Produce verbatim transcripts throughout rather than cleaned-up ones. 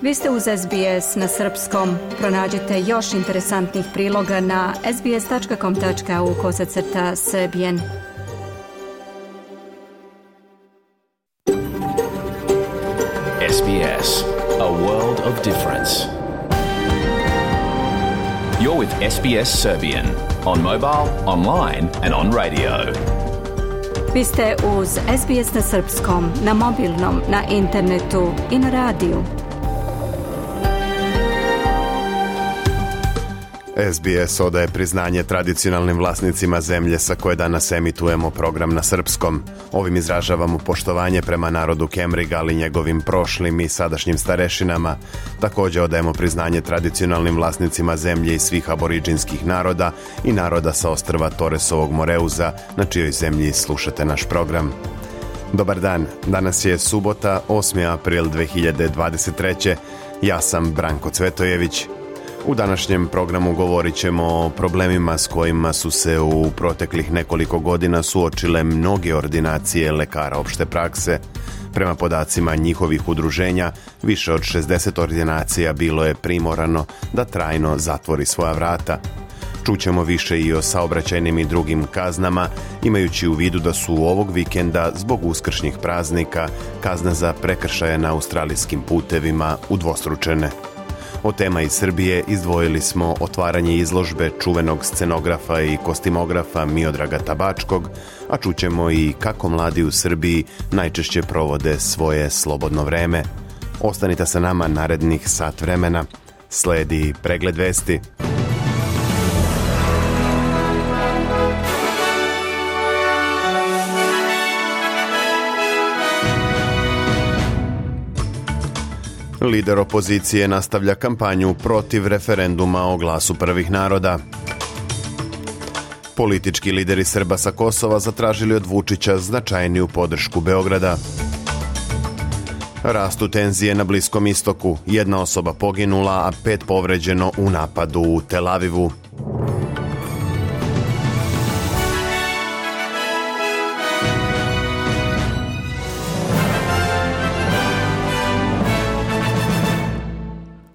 Vi ste uz S B S na srpskom. Pronađite još interesantnih priloga na sbs.com.au kosacrta srbijen. S B S, a world of difference. You're with S B S Serbian on mobile, online and on radio. Vi ste uz S B S na srpskom, na mobilnom, na internetu i na radiju. S B S odaje priznanje tradicionalnim vlasnicima zemlje sa koje danas emitujemo program na srpskom. Ovim izražavamo poštovanje prema narodu Kemriga, ali njegovim prošlim i sadašnjim starešinama. Također odajemo priznanje tradicionalnim vlasnicima zemlje i svih aboriđinskih naroda i naroda sa ostrva Torresovog Moreuza, na čijoj zemlji slušate naš program. Dobar dan, danas je subota, osmi april dve hiljade dvadeset treće. Ja sam Branko Cvetojević. U današnjem programu govorit ćemo o problemima s kojima su se u proteklih nekoliko godina suočile mnoge ordinacije lekara opšte prakse. Prema podacima njihovih udruženja, više od šezdeset ordinacija bilo je primorano da trajno zatvori svoja vrata. Čućemo više i o saobraćajnim i drugim kaznama, imajući u vidu da su ovog vikenda zbog uskršnjih praznika kazne za prekršaje na australijskim putevima udvostručene. Od tema iz Srbije izdvojili smo otvaranje izložbe čuvenog scenografa i kostimografa Miodraga Tabačkog, a čućemo i kako mladi u Srbiji najčešće provode svoje slobodno vreme. Ostanite sa nama narednih sat vremena. Sledi pregled vesti. Lider opozicije nastavlja kampanju protiv referenduma o glasu prvih naroda. Politički lideri Srba sa Kosova zatražili od Vučića značajniju podršku Beograda. Rastu tenzije na Bliskom istoku. Jedna osoba poginula, a pet povređeno u napadu u Tel Avivu.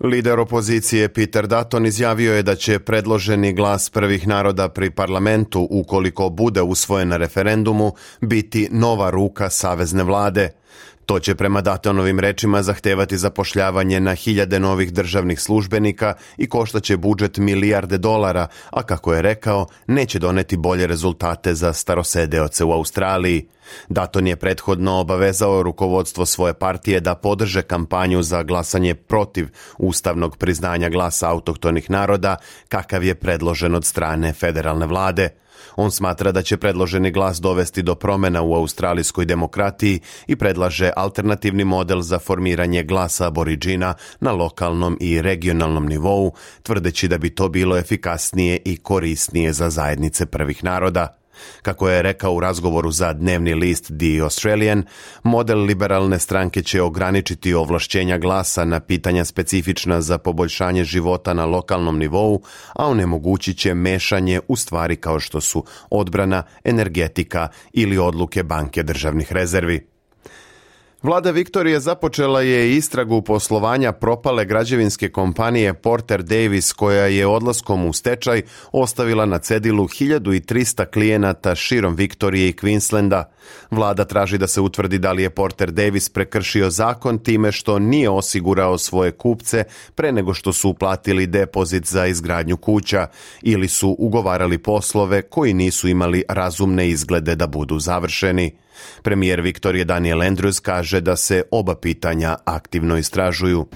Lider opozicije Peter Dutton izjavio je da će predloženi glas prvih naroda pri parlamentu, ukoliko bude usvojen na referendumu, biti nova ruka savezne vlade. To će prema Duttonovim rečima zahtevati zapošljavanje na hiljade novih državnih službenika i koštaće budžet milijarde dolara, a kako je rekao, neće doneti bolje rezultate za starosedeoce u Australiji. Dutton je prethodno obavezao rukovodstvo svoje partije da podrže kampanju za glasanje protiv ustavnog priznanja glasa autohtonih naroda, kakav je predložen od strane federalne vlade. On smatra da će predloženi glas dovesti do promjena u australijskoj demokratiji i predlaže alternativni model za formiranje glasa aboriđina na lokalnom i regionalnom nivou, tvrdeći da bi to bilo efikasnije i korisnije za zajednice prvih naroda. Kako je rekao u razgovoru za dnevni list The Australian, model liberalne stranke će ograničiti ovlašćenja glasa na pitanja specifična za poboljšanje života na lokalnom nivou, a onemogućit će mešanje u stvari kao što su odbrana, energetika ili odluke banke državnih rezervi. Vlada Viktorije započela je istragu poslovanja propale građevinske kompanije Porter Davis, koja je odlaskom u stečaj ostavila na cedilu hiljadu trista klijenata širom Viktorije i Queenslanda. Vlada traži da se utvrdi da li je Porter Davis prekršio zakon time što nije osigurao svoje kupce pre nego što su uplatili depozit za izgradnju kuća ili su ugovarali poslove koji nisu imali razumne izglede da budu završeni. Premijer Viktorije Daniel Andrews kaže da se oba pitanja aktivno istražuju.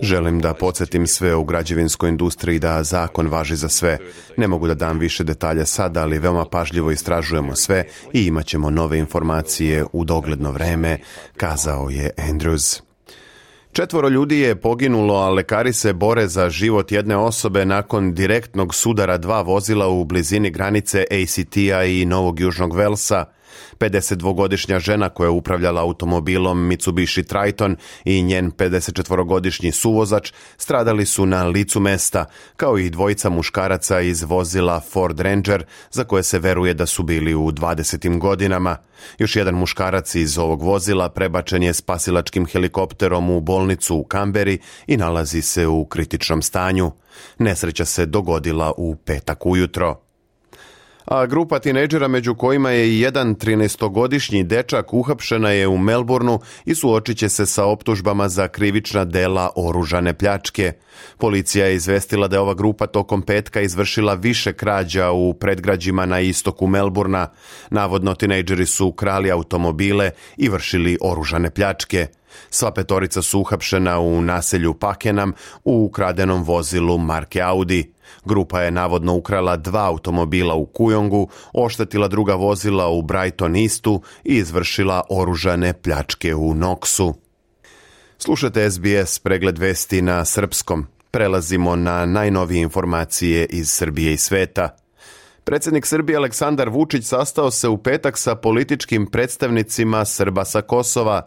Želim da podsjetim sve u građevinskoj industriji da zakon važi za sve. Ne mogu da dam više detalja sada, ali veoma pažljivo istražujemo sve i imat ćemo nove informacije u dogledno vreme, kazao je Andrews. Četvoro ljudi je poginulo, a lekari se bore za život jedne osobe nakon direktnog sudara dva vozila u blizini granice A C T-a i Novog Južnog Velsa. pedesetdvogodišnja žena koja je upravljala automobilom Mitsubishi Triton i njen pedesetčetvorogodišnji suvozač stradali su na licu mesta, kao i dvojica muškaraca iz vozila Ford Ranger za koje se veruje da su bili u dvadesetim godinama. Još jedan muškarac iz ovog vozila prebačen je spasilačkim helikopterom u bolnicu u Kamberi i nalazi se u kritičnom stanju. Nesreća se dogodila u petak ujutro. A grupa tinejdžera, među kojima je i jedan trinaestogodišnji dečak, uhapšena je u Melbourneu i suočit će se sa optužbama za krivična dela oružane pljačke. Policija je izvestila da je ova grupa tokom petka izvršila više krađa u predgrađima na istoku Melbournea. Navodno tinejdžeri su krali automobile i vršili oružane pljačke. Sva petorica su uhapšena u naselju Pakenham u ukradenom vozilu marke Audi. Grupa je navodno ukrala dva automobila u Kujongu, oštetila druga vozila u Brighton Eastu i izvršila oružane pljačke u Knoxu. Slušate S B S pregled vesti na srpskom. Prelazimo na najnovije informacije iz Srbije i sveta. Predsjednik Srbije Aleksandar Vučić sastao se u petak sa političkim predstavnicima Srba sa Kosova.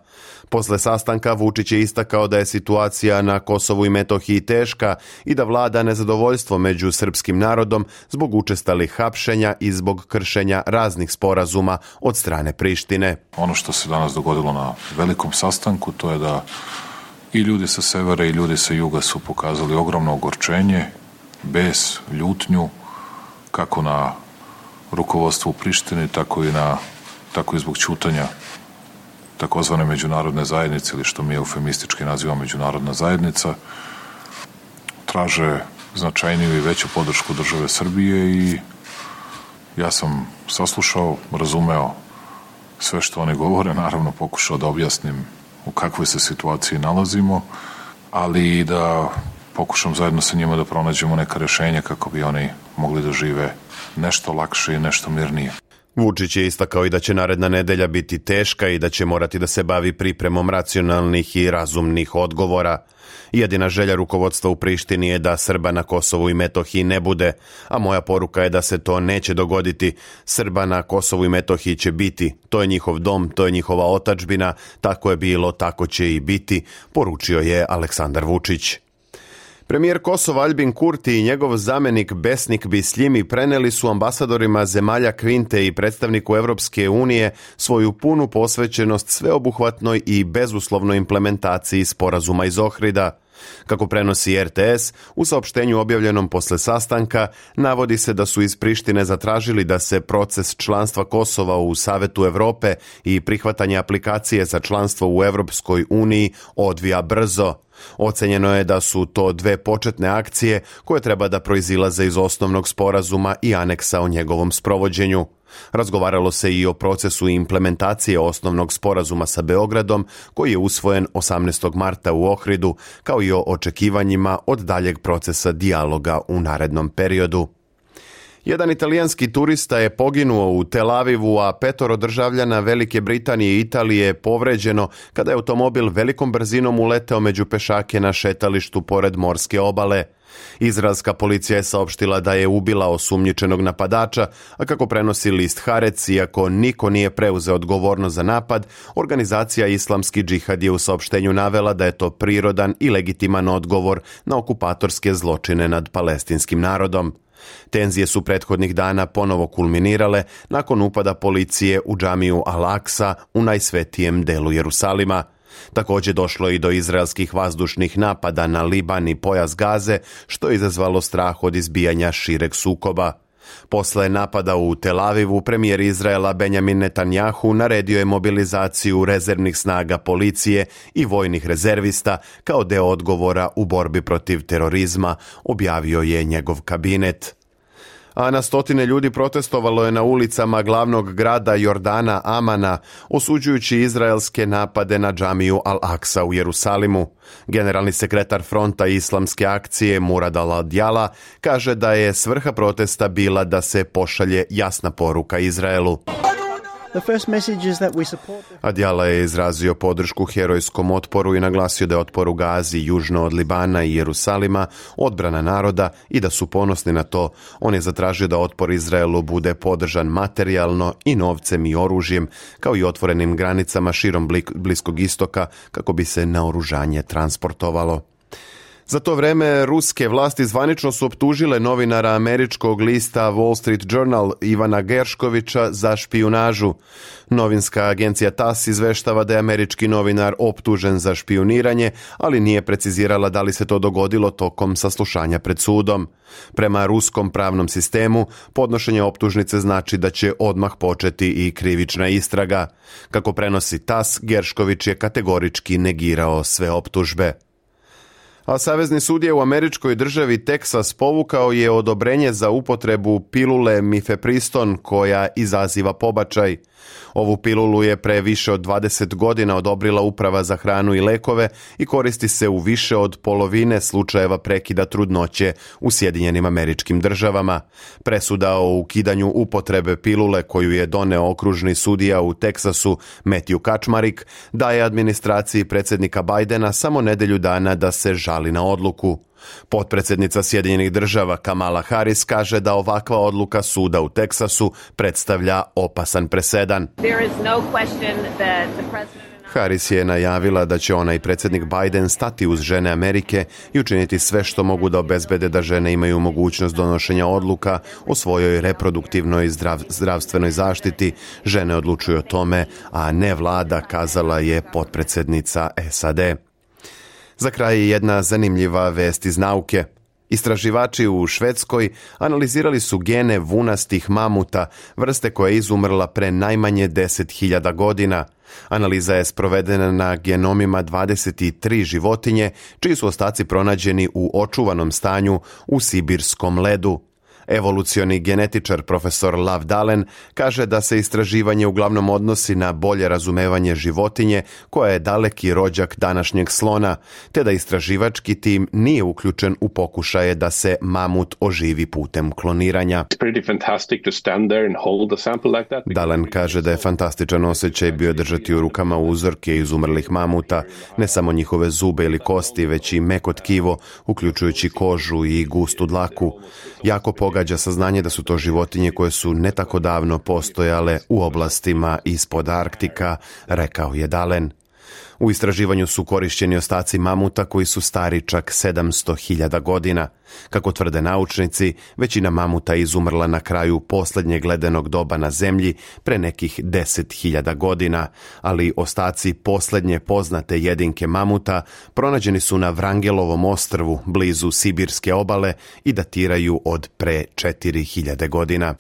Posle sastanka Vučić je istakao da je situacija na Kosovu i Metohiji teška i da vlada nezadovoljstvo među srpskim narodom zbog učestalih hapšenja i zbog kršenja raznih sporazuma od strane Prištine. Ono što se danas dogodilo na velikom sastanku, to je da i ljudi sa severa i ljudi sa juga su pokazali ogromno ogorčenje, bes, ljutnju, kako na rukovodstvu u Prištini, tako i, na, tako i zbog ćutanja takozvane međunarodne zajednice, ili što mi eufemistički nazivamo međunarodna zajednica, traže značajniju i veću podršku države Srbije i ja sam saslušao, razumeo sve što oni govore, naravno pokušao da objasnim u kakvoj se situaciji nalazimo, ali i da pokušam zajedno sa njima da pronađemo neka rešenja kako bi oni mogli da žive nešto lakše i nešto mirnije. Vučić je istakao i da će naredna nedelja biti teška i da će morati da se bavi pripremom racionalnih i razumnih odgovora. Jedina želja rukovodstva u Prištini je da Srba na Kosovu i Metohiji ne bude, a moja poruka je da se to neće dogoditi. Srba na Kosovu i Metohiji će biti, to je njihov dom, to je njihova otadžbina, tako je bilo, tako će i biti, poručio je Aleksandar Vučić. Premijer Kosova Aljbin Kurti i njegov zamenik Besnik Bisljimi preneli su ambasadorima zemalja Kvinte i predstavniku Evropske unije svoju punu posvećenost sveobuhvatnoj i bezuslovnoj implementaciji sporazuma iz Ohrida. Kako prenosi R T S, u saopštenju objavljenom posle sastanka navodi se da su iz Prištine zatražili da se proces članstva Kosova u Savetu Evrope i prihvatanje aplikacije za članstvo u Evropskoj uniji odvija brzo. Ocenjeno je da su to dve početne akcije koje treba da proizilaze iz osnovnog sporazuma i aneksa o njegovom sprovođenju. Razgovaralo se i o procesu implementacije osnovnog sporazuma sa Beogradom, koji je usvojen osamnaestog marta u Ohridu, kao i o očekivanjima od daljeg procesa dijaloga u narednom periodu. Jedan italijanski turista je poginuo u Tel Avivu, a petoro državljana Velike Britanije i Italije je povređeno kada je automobil velikom brzinom uleteo među pešake na šetalištu pored morske obale. Izraelska policija je saopštila da je ubila osumnjičenog napadača, a kako prenosi list Haaretz, iako niko nije preuzeo odgovornost za napad, organizacija Islamski džihad je u saopštenju navela da je to prirodan i legitiman odgovor na okupatorske zločine nad palestinskim narodom. Tenzije su prethodnih dana ponovo kulminirale nakon upada policije u džamiju Al-Aksa u najsvetijem delu Jerusalima. Također došlo i do izraelskih vazdušnih napada na Liban i pojas Gaze, što je izazvalo strah od izbijanja šireg sukoba. Posle napada u Tel Avivu, premijer Izraela Benjamin Netanjahu naredio je mobilizaciju rezervnih snaga policije i vojnih rezervista kao deo odgovora u borbi protiv terorizma, objavio je njegov kabinet. A na stotine ljudi protestovalo je na ulicama glavnog grada Jordana Amana, osuđujući izraelske napade na džamiju Al-Aksa u Jerusalimu. Generalni sekretar fronta islamske akcije Murad al-Adjala kaže da je svrha protesta bila da se pošalje jasna poruka Izraelu. Adjala je izrazio podršku herojskom otporu i naglasio da je otpor u Gazi, južno od Libana i Jerusalima, odbrana naroda i da su ponosni na to. On je zatražio da otpor Izraelu bude podržan materijalno i novcem i oružjem, kao i otvorenim granicama širom Bliskog istoka kako bi se naoružanje transportovalo. Za to vreme ruske vlasti zvanično su optužile novinara američkog lista Wall Street Journal Ivana Gerškovića za špijunažu. Novinska agencija T A S izveštava da je američki novinar optužen za špijuniranje, ali nije precizirala da li se to dogodilo tokom saslušanja pred sudom. Prema ruskom pravnom sistemu, podnošenje optužnice znači da će odmah početi i krivična istraga. Kako prenosi T A S, Geršković je kategorički negirao sve optužbe. A savezni sudija u američkoj državi Teksas povukao je odobrenje za upotrebu pilule mifepriston koja izaziva pobačaj. Ovu pilulu je pre više od dvadeset godina odobrila Uprava za hranu i lekove i koristi se u više od polovine slučajeva prekida trudnoće u Sjedinjenim Američkim Državama. Presuda o ukidanju upotrebe pilule koju je doneo okružni sudija u Teksasu Matthew Kaczmarek daje administraciji predsjednika Bidena samo nedelju dana da se žali na odluku. Potpredsjednica Sjedinjenih Država Kamala Harris kaže da ovakva odluka suda u Teksasu predstavlja opasan presedan. Harris je najavila da će ona i predsjednik Biden stati uz žene Amerike i učiniti sve što mogu da obezbede da žene imaju mogućnost donošenja odluka o svojoj reproduktivnoj zdrav, zdravstvenoj zaštiti. Žene odlučuju o tome, a ne vlada, kazala je potpredsjednica S A D. Za kraj jedna zanimljiva vest iz nauke. Istraživači u Švedskoj analizirali su gene vunastih mamuta, vrste koja je izumrla pre najmanje deset hiljada godina. Analiza je sprovedena na genomima dvadeset tri životinje, čiji su ostaci pronađeni u očuvanom stanju u sibirskom ledu. Evolucioni genetičar profesor Lav Dalen kaže da se istraživanje uglavnom odnosi na bolje razumevanje životinje koja je daleki rođak današnjeg slona, te da istraživački tim nije uključen u pokušaje da se mamut oživi putem kloniranja. Dalen kaže da je fantastičan osjećaj bio držati u rukama uzorke izumrlih mamuta, ne samo njihove zube ili kosti, već i meko tkivo, uključujući kožu i gustu dlaku. Jako pogađa saznanje da su to životinje koje su ne tako davno postojale u oblastima ispod Arktika, rekao je Dalen. U istraživanju su korišćeni ostaci mamuta koji su stari čak sedamsto hiljada godina. Kako tvrde naučnici, većina mamuta je izumrla na kraju posljednjeg ledenog doba na zemlji pre nekih deset hiljada godina, ali ostaci posljednje poznate jedinke mamuta pronađeni su na Vrangelovom ostrvu blizu Sibirske obale i datiraju od pre četiri hiljade godina.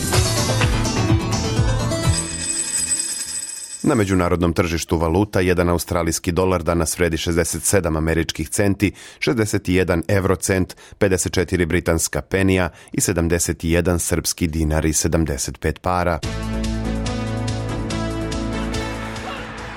Na međunarodnom tržištu valuta jedan australijski dolar danas vredi šezdeset sedam američkih centi, šezdeset jedan eurocent, pedeset četiri britanska penija i sedamdeset jedan srpski dinar i sedamdeset pet para.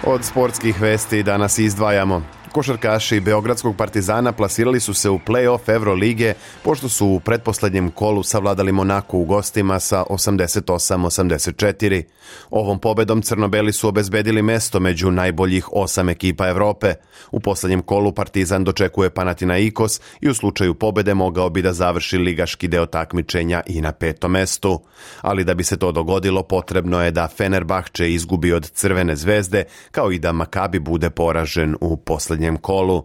Od sportskih vesti danas izdvajamo. Košarkaši Beogradskog Partizana plasirali su se u play-off Evrolige pošto su u pretposlednjem kolu savladali Monaku u gostima sa osamdeset osam osamdeset četiri. Ovom pobedom crno-beli su obezbedili mesto među najboljih osam ekipa Evrope. U poslednjem kolu Partizan dočekuje Panathinaikos i u slučaju pobede mogao bi da završi ligaški deo takmičenja i na petom mestu. Ali da bi se to dogodilo, potrebno je da Fenerbahče izgubi od Crvene zvezde, kao i da Makabi bude poražen u poslednjem kolu.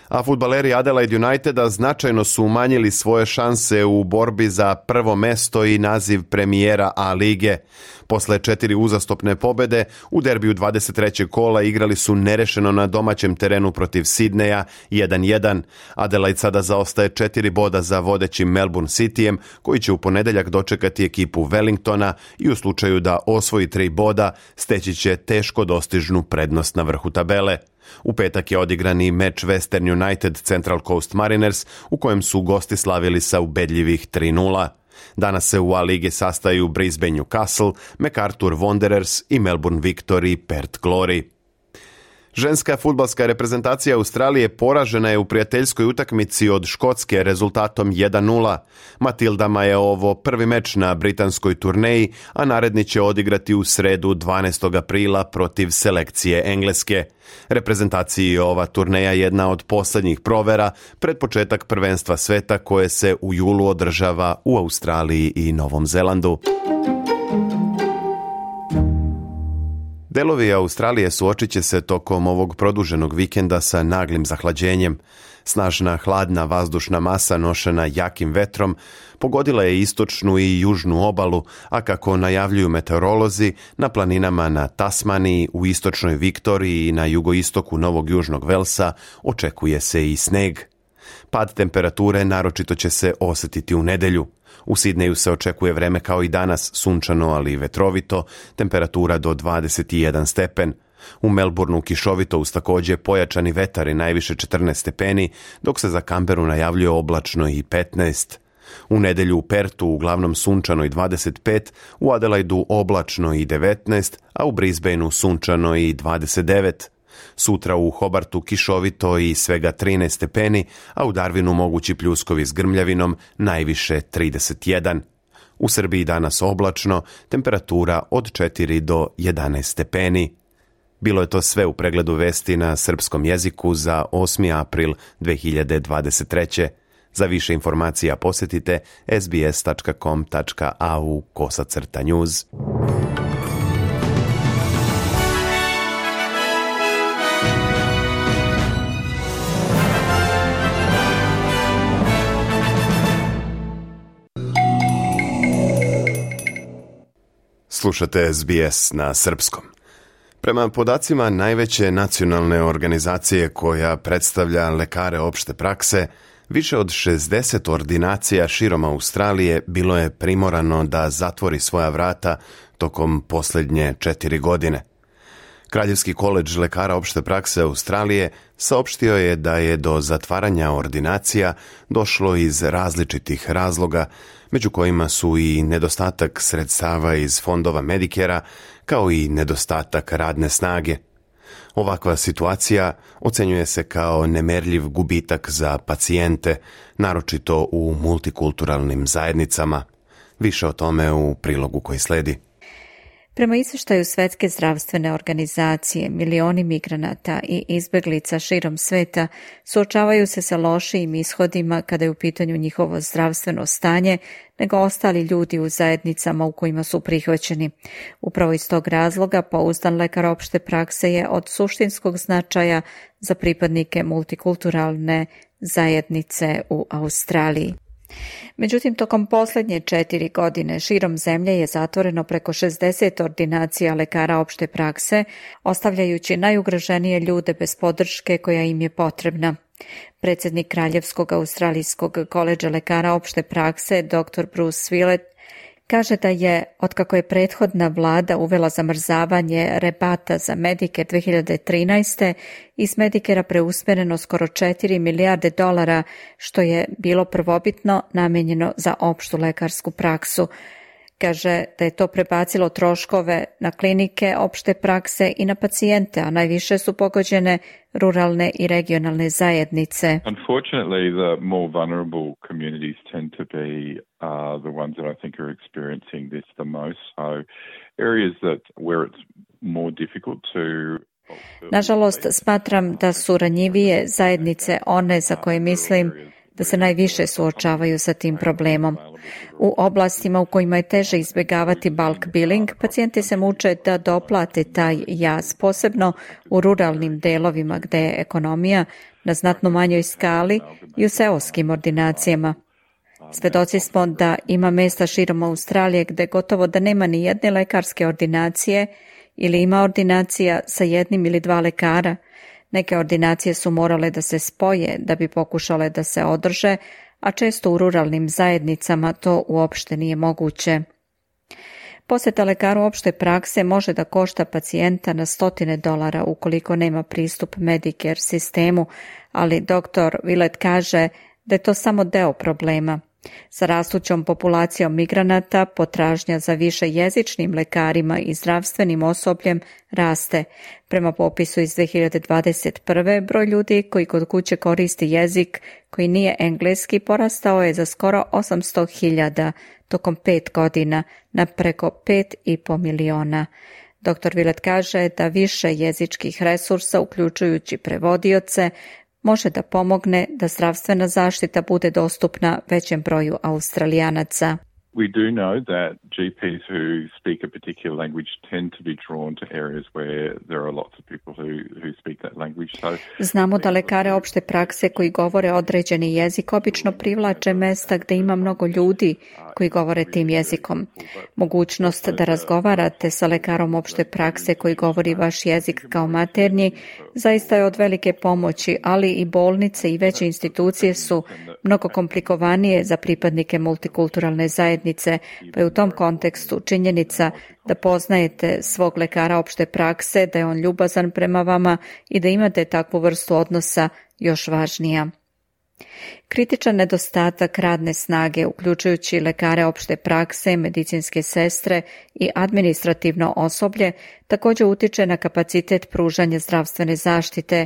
A fudbaleri Adelaide Uniteda značajno su umanjili svoje šanse u borbi za prvo mesto i naziv premijera A lige. Posle četiri uzastopne pobede, u derbiju dvadeset trećeg kola igrali su nerešeno na domaćem terenu protiv Sidneja jedan jedan. Adelaide sada zaostaje četiri boda za vodećim Melbourne Cityjem, koji će u ponedeljak dočekati ekipu Wellingtona i u slučaju da osvoji tri boda, steći će teško dostižnu prednost na vrhu tabele. U petak je odigrani meč Western United Central Coast Mariners, u kojem su gosti slavili sa ubedljivih tri nula. Danas se u A ligi sastaju Brisbane Newcastle, MacArthur Wanderers i Melbourne Victory Perth Glory. Ženska fudbalska reprezentacija Australije poražena je u prijateljskoj utakmici od Škotske rezultatom jedan nula. Matildama je ovo prvi meč na britanskoj turneji, a naredni će odigrati u sredu dvanaestog aprila protiv selekcije Engleske. Reprezentaciji je ova turneja jedna od posljednjih provera pred početak prvenstva sveta koje se u julu održava u Australiji i Novom Zelandu. Delovi Australije suočit će se tokom ovog produženog vikenda sa naglim zahlađenjem. Snažna hladna vazdušna masa nošena jakim vetrom pogodila je istočnu i južnu obalu, a kako najavljuju meteorolozi, na planinama na Tasmaniji, u istočnoj Viktoriji i na jugoistoku Novog Južnog Velsa očekuje se i sneg. Pad temperature naročito će se osjetiti u nedjelju. U Sidneju se očekuje vreme kao i danas, sunčano ali vetrovito, temperatura do dvadeset jedan stepen. U Melbourneu kišovito uz također pojačani vetar i najviše četrnaest stepeni, dok se za Canberru najavljuje oblačno i petnaest. U nedjelju u Pertu uglavnom sunčano i dvadeset pet, u Adelaidu oblačno i devetnaest, a u Brisbaneu sunčano i dvadeset devet. Sutra u Hobartu kišovito i svega trinaest stepeni, a u Darwinu mogući pljuskovi s grmljavinom, najviše trideset jedan. U Srbiji danas oblačno, temperatura od četiri do jedanaest stepeni. Bilo je to sve u pregledu vesti na srpskom jeziku za osmi april dve hiljade dvadeset treće. Za više informacija posjetite sbs.com.au kosacrta news. Slušate S B S na srpskom. Prema podacima najveće nacionalne organizacije koja predstavlja lekare opšte prakse, više od šezdeset ordinacija širom Australije bilo je primorano da zatvori svoja vrata tokom posljednje četiri godine. Kraljevski koledž lekara opšte prakse Australije saopštio je da je do zatvaranja ordinacija došlo iz različitih razloga, među kojima su i nedostatak sredstava iz fondova Medicare-a, kao i nedostatak radne snage. Ovakva situacija ocenjuje se kao nemerljiv gubitak za pacijente, naročito u multikulturalnim zajednicama. Više o tome u prilogu koji sledi. Prema izvještaju Svjetske zdravstvene organizacije, milioni migranata i izbjeglica širom sveta suočavaju se sa lošijim ishodima kada je u pitanju njihovo zdravstveno stanje nego ostali ljudi u zajednicama u kojima su prihvaćeni. Upravo iz tog razloga pouzdan lekar opšte prakse je od suštinskog značaja za pripadnike multikulturalne zajednice u Australiji. Međutim, tokom posljednje četiri godine širom zemlje je zatvoreno preko šezdeset ordinacija lekara opšte prakse, ostavljajući najugroženije ljude bez podrške koja im je potrebna. Predsjednik Kraljevskog australijskog koledža lekara opšte prakse, doktor Bruce Willett, kaže da je, otkako je prethodna vlada uvela zamrzavanje rebata za Medicare dve hiljade trinaeste, iz Medicare-a preusmjereno skoro četiri milijarde dolara, što je bilo prvobitno namijenjeno za opštu lekarsku praksu. Kaže da je to prebacilo troškove na klinike opšte prakse i na pacijente, a najviše su pogođene ruralne i regionalne zajednice. Unfortunately, the more vulnerable communities tend to be uh, the ones that I think are experiencing this the most. So areas that where it's more difficult to Nažalost, smatram da su ranjivije zajednice one za koje mislim da se najviše suočavaju sa tim problemom. U oblastima u kojima je teže izbjegavati bulk billing, pacijenti se muče da doplate taj jaz, posebno u ruralnim delovima gde je ekonomija na znatno manjoj skali i u seoskim ordinacijama. Svedoci smo da ima mesta širom Australije gde gotovo da nema ni jedne lekarske ordinacije ili ima ordinacija sa jednim ili dva lekara. Neke ordinacije su morale da se spoje da bi pokušale da se održe, a često u ruralnim zajednicama to uopšte nije moguće. Posjeta lekaru opšte prakse može da košta pacijenta na stotine dolara ukoliko nema pristup Medicare sistemu, ali doktor Willett kaže da je to samo deo problema. Sa rastućom populacijom migranata, potražnja za više jezičnim lekarima i zdravstvenim osobljem raste. Prema popisu iz dve hiljade dvadeset prve. broj ljudi koji kod kuće koristi jezik koji nije engleski porastao je za skoro osamsto hiljada tokom pet godina na preko pet i po miliona. doktor Willett kaže da više jezičkih resursa, uključujući prevodioce, može da pomogne da zdravstvena zaštita bude dostupna većem broju Australijanaca. We do know that G Ps who speak a particular language tend to be drawn to areas where there are lots of people who, who speak that language. So, Znamo da lekare opšte prakse koji govore određeni jezik obično privlače mesta gde ima mnogo ljudi koji govore tim jezikom. Mogućnost da razgovarate sa lekarom opšte prakse koji govori vaš jezik kao maternji zaista je od velike pomoći, ali i bolnice i veće institucije su mnogo komplikovanije za pripadnike multikulturalne zajednice, pa je u tom kontekstu činjenica da poznajete svog lekara opšte prakse, da je on ljubazan prema vama i da imate takvu vrstu odnosa još važnija. Kritičan nedostatak radne snage, uključujući lekare opšte prakse, medicinske sestre i administrativno osoblje, također utiče na kapacitet pružanja zdravstvene zaštite.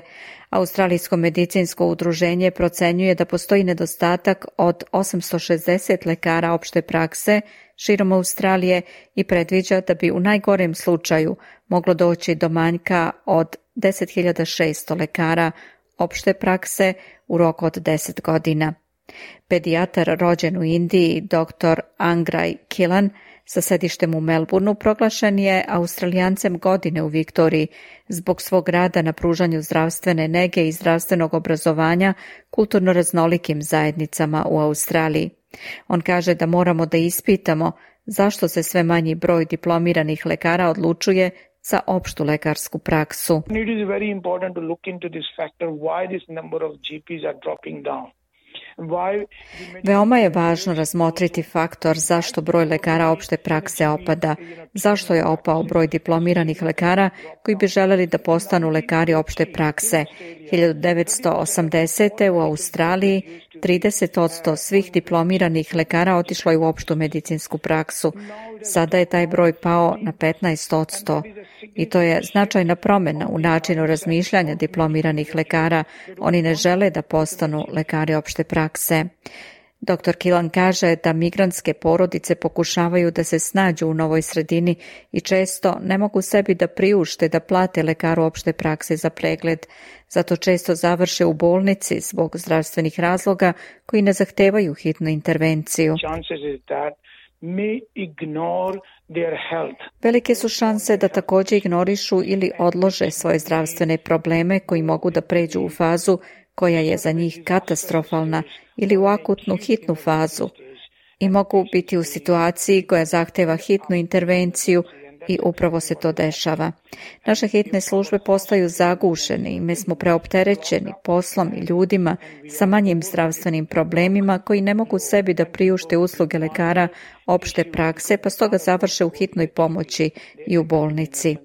Australijsko medicinsko udruženje procenjuje da postoji nedostatak od osamsto šezdeset lekara opšte prakse širom Australije i predviđa da bi u najgorem slučaju moglo doći do manjka od deset hiljada šesto lekara opšte prakse u roku od deset godina. Pedijatar rođen u Indiji, doktor Angraj Kilan, sa sedištem u Melbourneu, proglašen je Australijancem godine u Viktoriji zbog svog rada na pružanju zdravstvene nege i zdravstvenog obrazovanja kulturno raznolikim zajednicama u Australiji. On kaže da moramo da ispitamo zašto se sve manji broj diplomiranih lekara odlučuje za opštu lekarsku praksu. It is very important to look into this factor why this number of G Ps are dropping down. Veoma je važno razmotriti faktor zašto broj lekara opšte prakse opada, zašto je opao broj diplomiranih lekara koji bi želeli da postanu lekari opšte prakse. hiljadu devetsto osamdesete. u Australiji trideset posto svih diplomiranih lekara otišlo je u opštu medicinsku praksu. Sada je taj broj pao na petnaest posto i to je značajna promjena u načinu razmišljanja diplomiranih lekara. Oni ne žele da postanu lekari opšte prakse. doktor Kilan kaže da migrantske porodice pokušavaju da se snađu u novoj sredini i često ne mogu sebi da priušte da plate lekaru opšte prakse za pregled. Zato često završe u bolnici zbog zdravstvenih razloga koji ne zahtevaju hitnu intervenciju. Velike su šanse da također ignorišu ili odlože svoje zdravstvene probleme koji mogu da pređu u fazu koja je za njih katastrofalna ili u akutnu hitnu fazu i mogu biti u situaciji koja zahteva hitnu intervenciju i upravo se to dešava. Naše hitne službe postaju zagušene i mi smo preopterećeni poslom i ljudima sa manjim zdravstvenim problemima koji ne mogu sebi da priušte usluge lekara opšte prakse, pa stoga završe u hitnoj pomoći i u bolnici.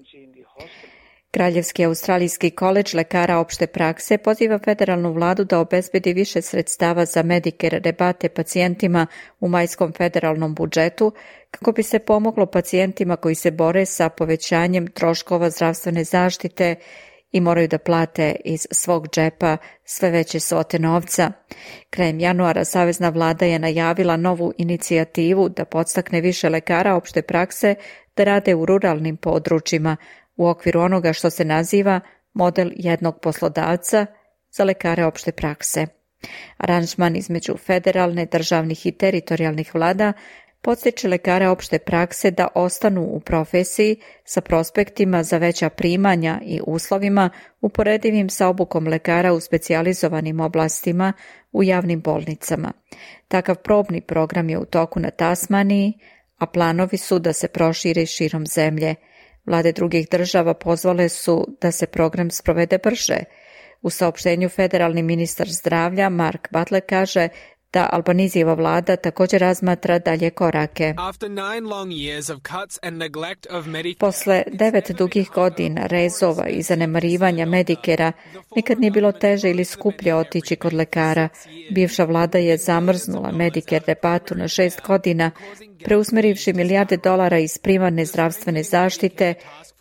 Kraljevski australijski koledž lekara opšte prakse poziva federalnu vladu da obezbedi više sredstava za Medicare rebate pacijentima u majskom federalnom budžetu kako bi se pomoglo pacijentima koji se bore sa povećanjem troškova zdravstvene zaštite i moraju da plate iz svog džepa sve veće svote novca. Krajem januara savezna vlada je najavila novu inicijativu da podstakne više lekara opšte prakse da rade u ruralnim područjima u okviru onoga što se naziva model jednog poslodavca za lekare opšte prakse. Aranžman između federalne, državnih i teritorijalnih vlada podstiče lekare opšte prakse da ostanu u profesiji sa prospektima za veća primanja i uslovima uporedivim sa obukom lekara u specijalizovanim oblastima u javnim bolnicama. Takav probni program je u toku na Tasmaniji, a planovi su da se proširi širom zemlje. Vlade drugih država pozvale su da se program sprovede brže. U saopštenju federalni ministar zdravlja Mark Butler kaže da Albanizijeva vlada također razmatra dalje korake. Posle devet dugih godina rezova i zanemarivanja Medikera, nikad nije bilo teže ili skuplje otići kod lekara. Bivša vlada je zamrznula Medicare debatu na šest godina, preusmerivši milijarde dolara iz primarne zdravstvene zaštite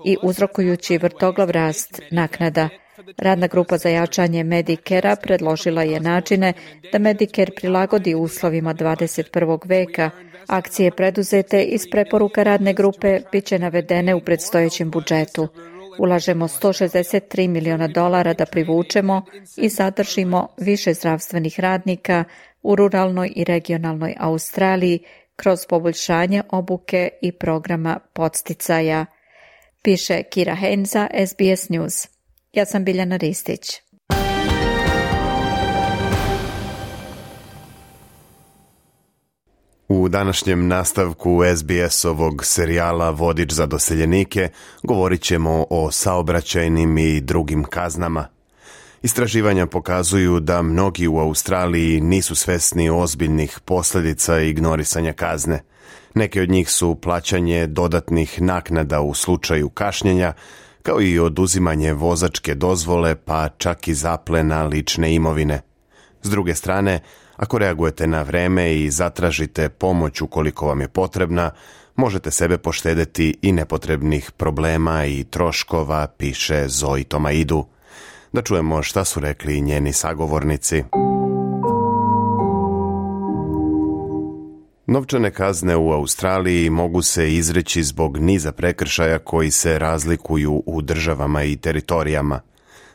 i uzrokujući vrtoglav rast naknada. Radna grupa za jačanje Medicare-a predložila je načine da Medicare prilagodi uslovima dvadeset prvog veka. Akcije preduzete iz preporuka radne grupe bit će navedene u predstojećem budžetu. Ulažemo sto šezdeset tri miliona dolara da privučemo i zadržimo više zdravstvenih radnika u ruralnoj i regionalnoj Australiji kroz poboljšanje obuke i programa podsticaja, piše Kira Hain za S B S News. Ja sam Biljana Ristić. U današnjem nastavku S B S-ovog serijala Vodič za doseljenike govorit ćemo o saobraćajnim i drugim kaznama. Istraživanja pokazuju da mnogi u Australiji nisu svesni ozbiljnih posljedica ignorisanja kazne. Neke od njih su plaćanje dodatnih naknada u slučaju kašnjenja, kao i oduzimanje vozačke dozvole, pa čak i zaplena lične imovine. S druge strane, ako reagujete na vreme i zatražite pomoć ukoliko vam je potrebna, možete sebe poštedeti i nepotrebnih problema i troškova, piše Zoe Tomaidu. Da čujemo šta su rekli njeni sagovornici. Novčane kazne u Australiji mogu se izreći zbog niza prekršaja koji se razlikuju u državama i teritorijama.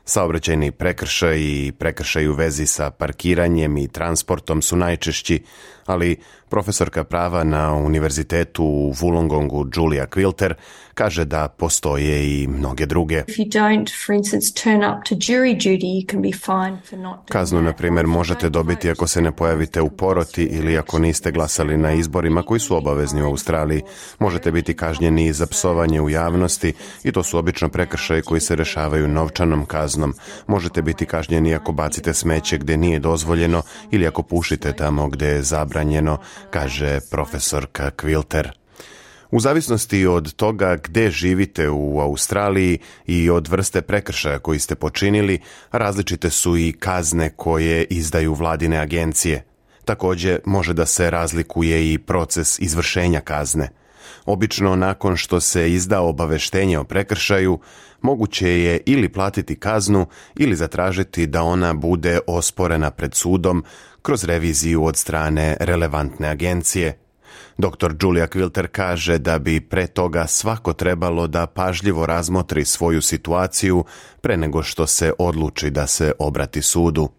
Saobraćajni prekršaj i prekršaj u vezi sa parkiranjem i transportom su najčešći, ali profesorka prava na univerzitetu u Wollongongu Julia Quilter kaže da postoje i mnoge druge. Kaznu, na primjer, možete dobiti ako se ne pojavite u poroti ili ako niste glasali na izborima koji su obavezni u Australiji. Možete biti kažnjeni za psovanje u javnosti i to su obično prekršaji koji se rešavaju novčanom kaznom. Možete biti kažnjeni ako bacite smeće gdje nije dozvoljeno ili ako pušite tamo gdje je zabranjeno, kaže profesorka Quilter. U zavisnosti od toga gdje živite u Australiji i od vrste prekršaja koji ste počinili, različite su i kazne koje izdaju vladine agencije. Također može da se razlikuje i proces izvršenja kazne. Obično nakon što se izda obaveštenje o prekršaju, moguće je ili platiti kaznu ili zatražiti da ona bude osporena pred sudom kroz reviziju od strane relevantne agencije. doktor Julia Quilter kaže da bi pre toga svako trebalo da pažljivo razmotri svoju situaciju pre nego što se odluči da se obrati sudu.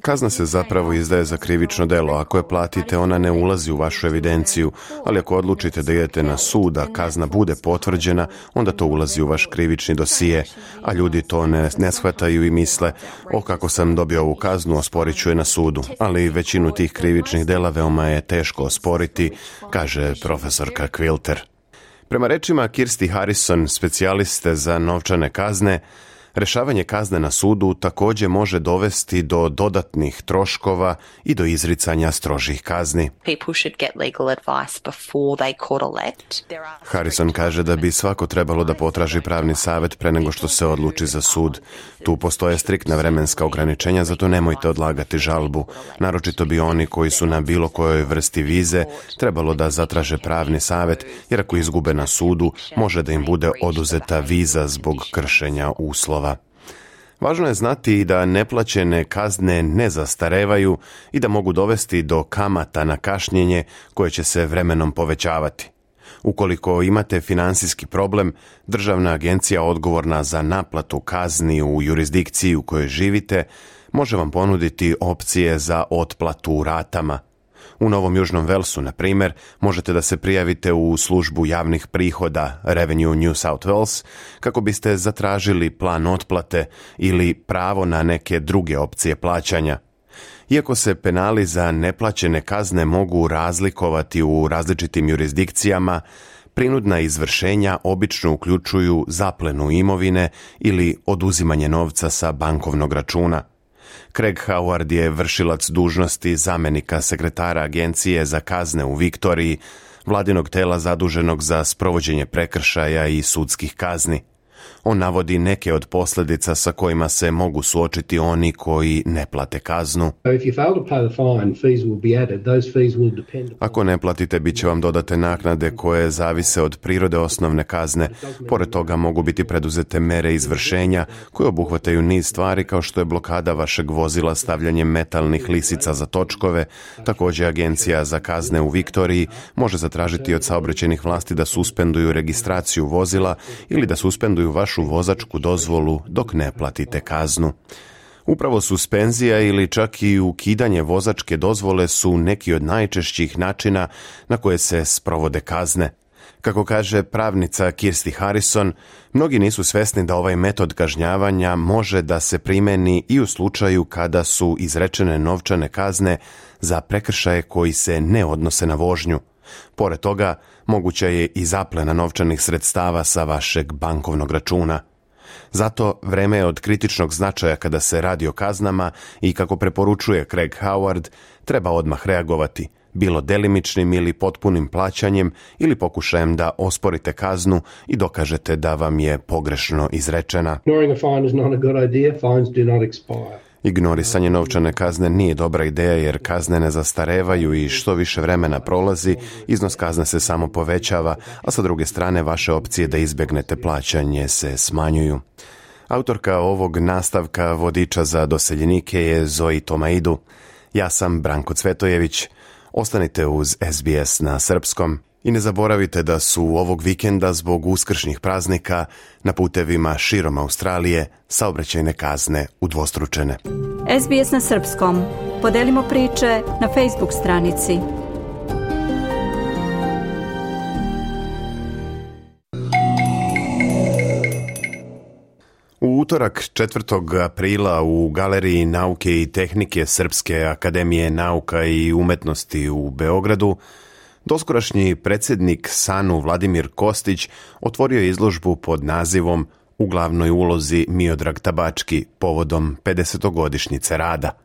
Kazna se zapravo izdaje za krivično delo. Ako je platite, ona ne ulazi u vašu evidenciju, ali ako odlučite da idete na sud, a kazna bude potvrđena, onda to ulazi u vaš krivični dosije, a ljudi to ne, ne shvataju i misle, o kako sam dobio ovu kaznu, osporit ću je na sudu, ali većinu tih krivičnih dela veoma je teško osporiti, kaže profesorka Quilter. Prema rečima Kirsti Harrison, specijaliste za novčane kazne, rešavanje kazne na sudu također može dovesti do dodatnih troškova i do izricanja strožih kazni. Harrison kaže da bi svako trebalo da potraži pravni savjet pre nego što se odluči za sud. Tu postoje striktna vremenska ograničenja, zato nemojte odlagati žalbu. Naročito bi oni koji su na bilo kojoj vrsti vize trebalo da zatraže pravni savjet, jer ako izgube na sudu, može da im bude oduzeta viza zbog kršenja uslova. Važno je znati i da neplaćene kazne ne zastarevaju i da mogu dovesti do kamata na kašnjenje koje će se vremenom povećavati. Ukoliko imate finansijski problem, državna agencija odgovorna za naplatu kazni u jurisdikciji u kojoj živite može vam ponuditi opcije za otplatu u ratama. U Novom Južnom Velsu, na primjer, možete da se prijavite u službu javnih prihoda Revenue New South Wales kako biste zatražili plan otplate ili pravo na neke druge opcije plaćanja. Iako se penali za neplaćene kazne mogu razlikovati u različitim jurisdikcijama, prinudna izvršenja obično uključuju zaplenu imovine ili oduzimanje novca sa bankovnog računa. Craig Howard je vršilac dužnosti zamenika sekretara Agencije za kazne u Viktoriji, vladinog tela zaduženog za sprovođenje prekršaja i sudskih kazni. On navodi neke od posljedica sa kojima se mogu suočiti oni koji ne plate kaznu. Ako ne platite, bit će vam dodate naknade koje zavise od prirode osnovne kazne. Pored toga mogu biti preduzete mere izvršenja koje obuhvataju niz stvari kao što je blokada vašeg vozila stavljanjem metalnih lisica za točkove. Također Agencija za kazne u Viktoriji može zatražiti od saobraćajnih vlasti da suspenduju registraciju vozila ili da suspenduju vašu vozačku dozvolu dok ne platite kaznu. Upravo suspenzija ili čak i ukidanje vozačke dozvole su neki od najčešćih načina na koje se sprovode kazne. Kako kaže pravnica Kirsty Harrison, mnogi nisu svesni da ovaj metod kažnjavanja može da se primeni i u slučaju kada su izrečene novčane kazne za prekršaje koji se ne odnose na vožnju. Pored toga, moguća je i zaplena novčanih sredstava sa vašeg bankovnog računa. Zato vreme je od kritičnog značaja kada se radi o kaznama i, kako preporučuje Craig Howard, treba odmah reagovati, bilo delimičnim ili potpunim plaćanjem ili pokušajem da osporite kaznu i dokažete da vam je pogrešno izrečena. Ignorisanje novčane kazne nije dobra ideja jer kazne ne zastarevaju i što više vremena prolazi, iznos kazne se samo povećava, a sa druge strane vaše opcije da izbjegnete plaćanje se smanjuju. Autorka ovog nastavka vodiča za doseljenike je Zoe Tomaidu. Ja sam Branko Cvetojević. Ostanite uz S B S na srpskom. I ne zaboravite da su ovog vikenda zbog uskršnjih praznika na putevima širom Australije saobraćajne kazne udvostručene. S B S na srpskom. Podelimo priče na Facebook stranici. U utorak četvrtog aprila u Galeriji nauke i tehnike Srpske akademije nauka i umetnosti u Beogradu doskorašnji predsjednik S A N U Vladimir Kostić otvorio izložbu pod nazivom U glavnoj ulozi Miodrag Tabački povodom pedesetogodišnjice rada.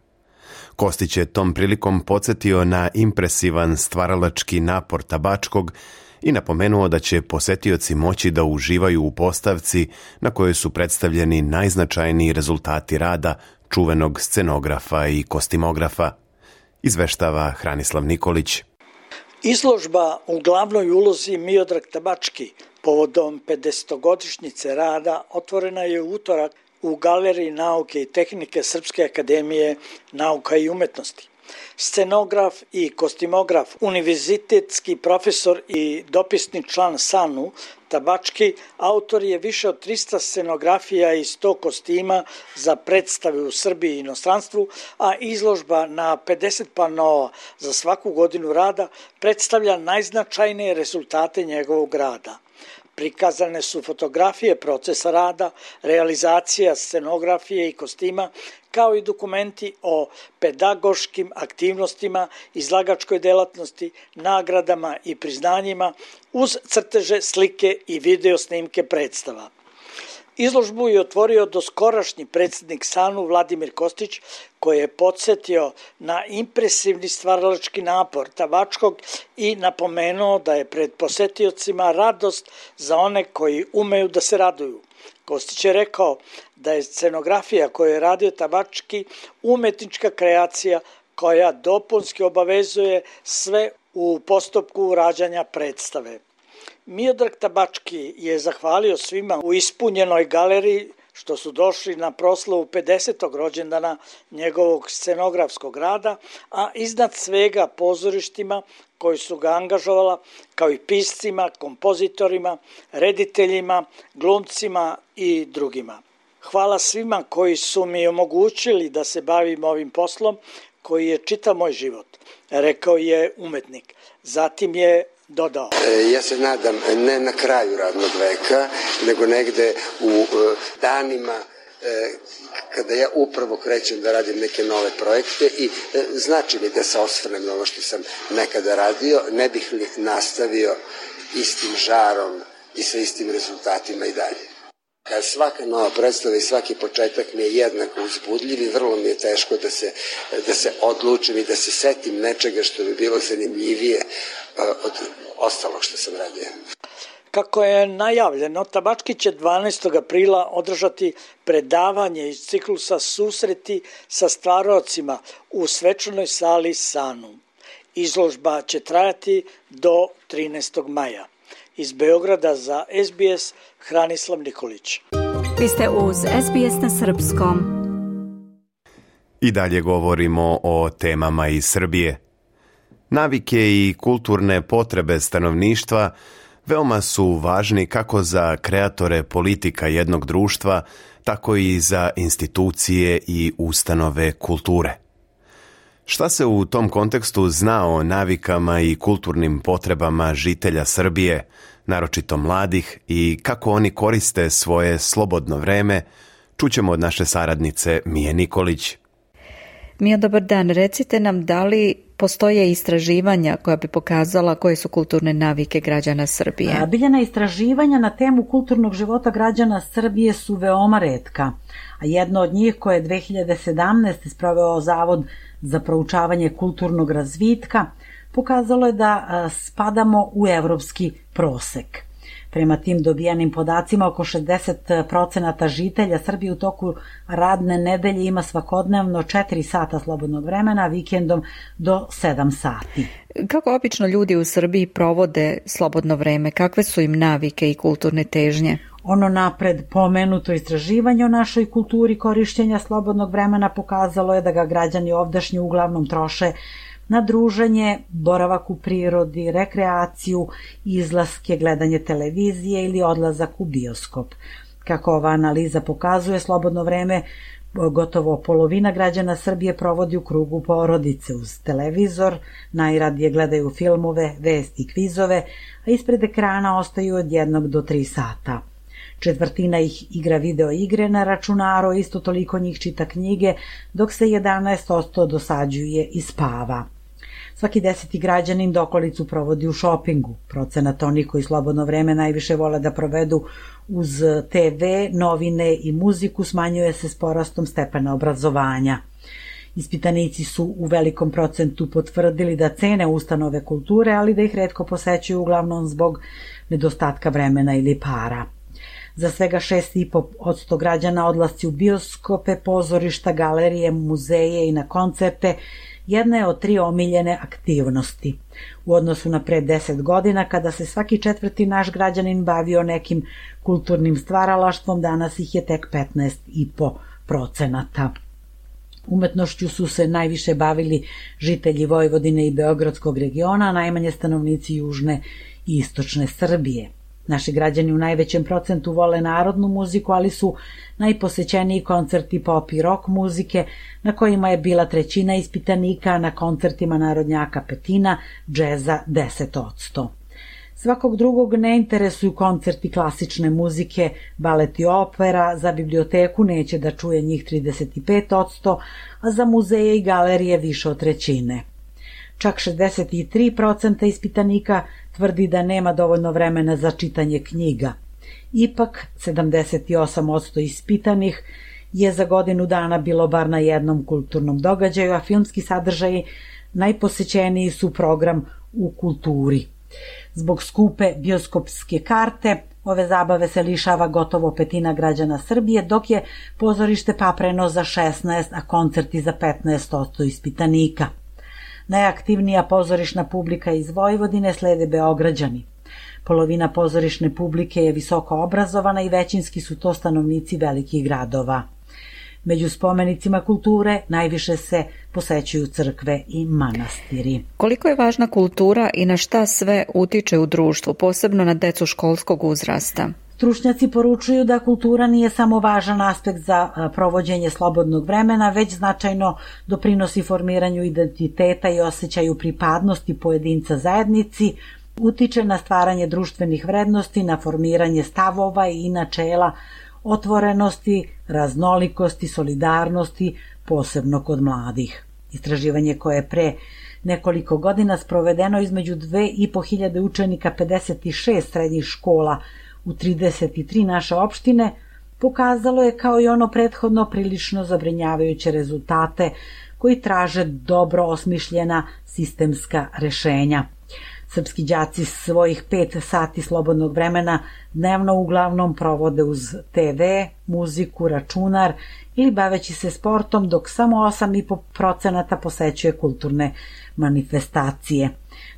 Kostić je tom prilikom podsjetio na impresivan stvaralački napor Tabačkog i napomenuo da će posetioci moći da uživaju u postavci na kojoj su predstavljeni najznačajniji rezultati rada čuvenog scenografa i kostimografa. Izveštava Hranislav Nikolić. Izložba U glavnoj ulozi Miodrag Tabački povodom pedesetogodišnjice rada otvorena je u utorak u Galeriji nauke i tehnike Srpske akademije nauka i umetnosti. Scenograf i kostimograf, univerzitetski profesor i dopisni član S A N U Tabački, autor je više od trista scenografija i sto kostima za predstave u Srbiji i inostranstvu, a izložba na pedeset panoa za svaku godinu rada predstavlja najznačajnije rezultate njegovog rada. Prikazane su fotografije procesa rada, realizacija scenografije i kostima, kao i dokumenti o pedagoškim aktivnostima, izlagačkoj delatnosti, nagradama i priznanjima, uz crteže, slike i video snimke predstava. Izložbu je otvorio doskorašnji predsjednik S A N U Vladimir Kostić, koji je podsjetio na impresivni stvaralački napor Tabačkog i napomenuo da je pred posetiocima radost za one koji umeju da se raduju. Kostić je rekao da je scenografija koju je radio Tabački umetnička kreacija koja dopunski obavezuje sve u postupku rađanja predstave. Miodrag Tabački je zahvalio svima u ispunjenoj galeriji što su došli na proslavu pedesetog rođendana njegovog scenografskog rada, a iznad svega pozorištima koji su ga angažovala, kao i piscima, kompozitorima, rediteljima, glumcima i drugima. Hvala svima koji su mi omogućili da se bavim ovim poslom koji je čitav moj život, rekao je umetnik. Zatim je dodao. Ja se nadam ne na kraju radnog veka, nego negde u danima kada ja upravo krećem da radim neke nove projekte i znači mi da se osvrnem na ono što sam nekada radio, ne bih li nastavio istim žarom i sa istim rezultatima i dalje. Svaka nova predstava i svaki početak mi je jednako uzbudljiv i vrlo mi je teško da se, da se odlučim i da se setim nečega što bi bilo zanimljivije od ostalog što sam radio. Kako je najavljeno, Tabački će dvanaestog aprila održati predavanje iz ciklusa Susreti sa stvarocima u svečanoj sali Sanum. Izložba će trajati do trinaestog maja. Iz Beograda za S B S, Hranislav Nikolić. Vi ste uz S B S na srpskom. I dalje govorimo o temama iz Srbije. Navike i kulturne potrebe stanovništva veoma su važni kako za kreatore politika jednog društva, tako i za institucije i ustanove kulture. Šta se u tom kontekstu zna o navikama i kulturnim potrebama žitelja Srbije, naročito mladih, i kako oni koriste svoje slobodno vreme, čućemo od naše saradnice Mije Nikolić. Mija, dobar dan. Recite nam, da li postoje istraživanja koja bi pokazala koje su kulturne navike građana Srbije? Biljana, istraživanja na temu kulturnog života građana Srbije su veoma retka, a jedno od njih koje je dve hiljade sedamnaeste. sproveo Zavod za proučavanje kulturnog razvitka pokazalo je da spadamo u evropski prosek. Prema tim dobijenim podacima, oko šezdeset procenata žitelja Srbije u toku radne nedelje ima svakodnevno četiri sata slobodnog vremena, vikendom do sedam sati. Kako obično ljudi u Srbiji provode slobodno vreme? Kakve su im navike i kulturne težnje? Ono napred pomenuto istraživanje o našoj kulturi korišćenja slobodnog vremena pokazalo je da ga građani ovdašnji uglavnom troše na druženje, boravak u prirodi, rekreaciju, izlaske, gledanje televizije ili odlazak u bioskop. Kako ova analiza pokazuje, slobodno vreme gotovo polovina građana Srbije provodi u krugu porodice uz televizor, najradije gledaju filmove, vesti, kvizove, a ispred ekrana ostaju od jednog do tri sata. Četvrtina ih igra video igre na računaru, isto toliko njih čita knjige, dok se jedanaest posto dosađuje i spava. Svaki deseti građanin dokolicu provodi u šopingu. Procenat onih koji slobodno vreme najviše vole da provedu uz te ve, novine i muziku smanjuje se s porastom stepena obrazovanja. Ispitanici su u velikom procentu potvrdili da cene ustanove kulture, ali da ih retko posećuju uglavnom zbog nedostatka vremena ili para. Za svega šest zarez pet posto građana odlasci u bioskope, pozorišta, galerije, muzeje i na koncerte jedna je od tri omiljene aktivnosti. U odnosu na pre deset godina, kada se svaki četvrti naš građanin bavio nekim kulturnim stvaralaštvom, danas ih je tek petnaest zarez pet procenata. Umetnošću su se najviše bavili žitelji Vojvodine i Beogradskog regiona, a najmanje stanovnici južne i istočne Srbije. Naši građani u najvećem procentu vole narodnu muziku, ali su najposećeniji koncerti pop i rock muzike, na kojima je bila trećina ispitanika, a na koncertima narodnjaka petina, džeza deset posto. Svakog drugog ne interesuju koncerti klasične muzike, balet i opera, za biblioteku neće da čuje njih trideset pet posto, a za muzeje i galerije više od trećine. Čak šezdeset tri posto ispitanika tvrdi da nema dovoljno vremena za čitanje knjiga. Ipak, sedamdeset osam posto ispitanih je za godinu dana bilo bar na jednom kulturnom događaju, a filmski sadržaji najposećeniji su program u kulturi. Zbog skupe bioskopske karte, ove zabave se lišava gotovo petina građana Srbije, dok je pozorište papreno za šesnaest, a koncerti za petnaest posto ispitanika. Najaktivnija pozorišna publika iz Vojvodine slede Beograđani. Polovina pozorišne publike je visoko obrazovana i većinski su to stanovnici velikih gradova. Među spomenicima kulture najviše se posećuju crkve i manastiri. Koliko je važna kultura i na šta sve utiče u društvu, posebno na decu školskog uzrasta? Stručnjaci poručuju da kultura nije samo važan aspekt za provođenje slobodnog vremena, već značajno doprinosi formiranju identiteta i osjećaju pripadnosti pojedinca zajednici, utiče na stvaranje društvenih vrednosti, na formiranje stavova i načela otvorenosti, raznolikosti, solidarnosti, posebno kod mladih. Istraživanje koje je pre nekoliko godina sprovedeno između dve i po hiljade učenika pedeset šest srednjih škola u trideset tri naše opštine pokazalo je kao i ono prethodno prilično zabrinjavajuće rezultate koji traže dobro osmišljena sistemska rešenja. Srpski đaci svojih pet sati slobodnog vremena dnevno uglavnom provode uz te ve, muziku, računar ili baveći se sportom, dok samo osam zarez pet procenata posećuje kulturne manifestacije.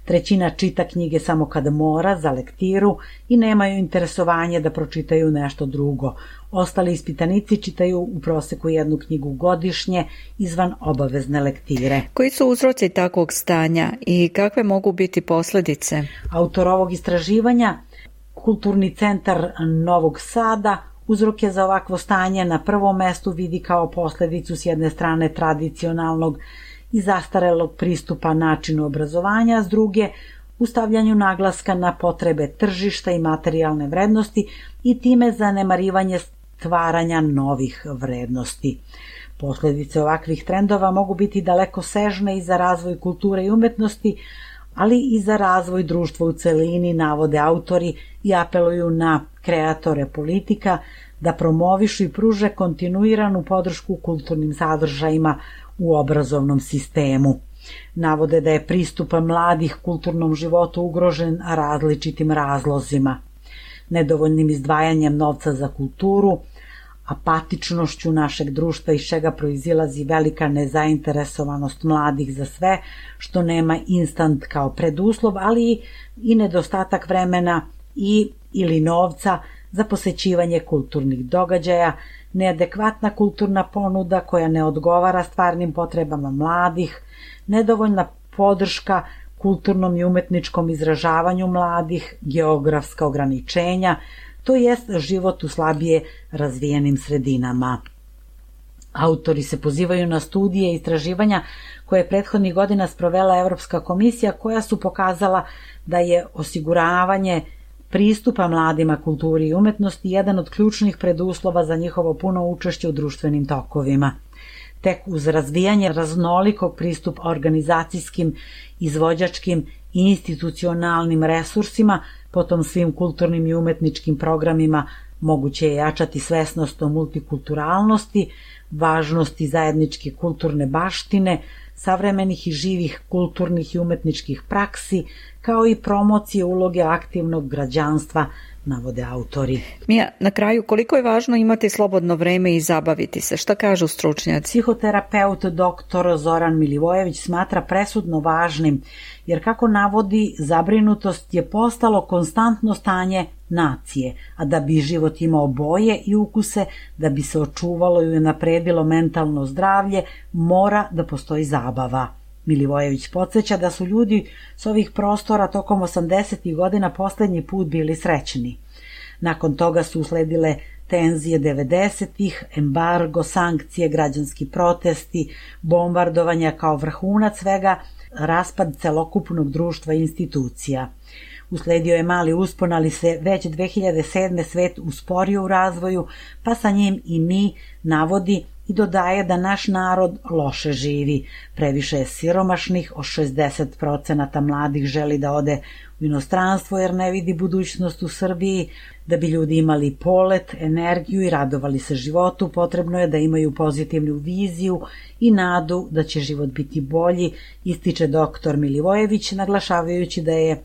Trećina čita knjige samo kada mora, za lektiru, i nemaju interesovanje da pročitaju nešto drugo. Ostali ispitanici čitaju u proseku jednu knjigu godišnje izvan obavezne lektire. Koji su uzroci takvog stanja i kakve mogu biti posljedice? Autor ovog istraživanja, Kulturni centar Novog Sada, uzroke za ovakvo stanje na prvom mestu vidi kao posljedicu s jedne strane tradicionalnog i zastarelog pristupa načinu obrazovanja, a s druge u stavljanju naglaska na potrebe tržišta i materijalne vrednosti i time zanemarivanje stvaranja novih vrednosti. Posljedice ovakvih trendova mogu biti daleko sežne i za razvoj kulture i umetnosti, ali i za razvoj društva u celini, navode autori i apeluju na kreatore politika da promovišu i pruže kontinuiranu podršku kulturnim sadržajima u obrazovnom sistemu. Navode da je pristup mladih kulturnom životu ugrožen različitim razlozima. Nedovoljnim izdvajanjem novca za kulturu, apatičnošću našeg društva iz čega proizilazi velika nezainteresovanost mladih za sve što nema instant kao preduslov, ali i nedostatak vremena i ili novca za posećivanje kulturnih događaja, neadekvatna kulturna ponuda koja ne odgovara stvarnim potrebama mladih, nedovoljna podrška kulturnom i umetničkom izražavanju mladih, geografska ograničenja, to jest život u slabije razvijenim sredinama. Autori se pozivaju na studije i istraživanja koje je prethodnih godina sprovela Evropska komisija, koja su pokazala da je osiguravanje pristupa mladima kulturi i umetnosti jedan od ključnih preduslova za njihovo puno učešće u društvenim tokovima. Tek uz razvijanje raznolikog pristupa organizacijskim, izvođačkim i institucionalnim resursima, potom svim kulturnim i umetničkim programima, moguće je jačati svesnost o multikulturalnosti, važnosti zajedničke kulturne baštine, savremenih i živih kulturnih i umetničkih praksi, kao i promocije uloge aktivnog građanstva, navode autori. Mija, na kraju, koliko je važno imati slobodno vreme i zabaviti se? Šta kažu stručnjaci? Psihoterapeut doktor Zoran Milivojević smatra presudno važnim, jer kako navodi, zabrinutost je postalo konstantno stanje nacije, a da bi život imao boje i ukuse, da bi se očuvalo i unapredilo mentalno zdravlje, mora da postoji zabava. Milivojević podsjeća da su ljudi s ovih prostora tokom osamdesetih godina poslednji put bili srećni. Nakon toga su usledile tenzije devedesetih, embargo, sankcije, građanski protesti, bombardovanja kao vrhunac svega, raspad celokupnog društva i institucija. Usledio je mali uspon, ali se već dve hiljade sedme. svet usporio u razvoju, pa sa njim i mi, navodi i dodaje da naš narod loše živi. Previše je siromašnih, od šezdeset procenata mladih želi da ode u inostranstvo jer ne vidi budućnost u Srbiji. Da bi ljudi imali polet, energiju i radovali se životu, potrebno je da imaju pozitivnu viziju i nadu da će život biti bolji, ističe doktor Milivojević, naglašavajući da je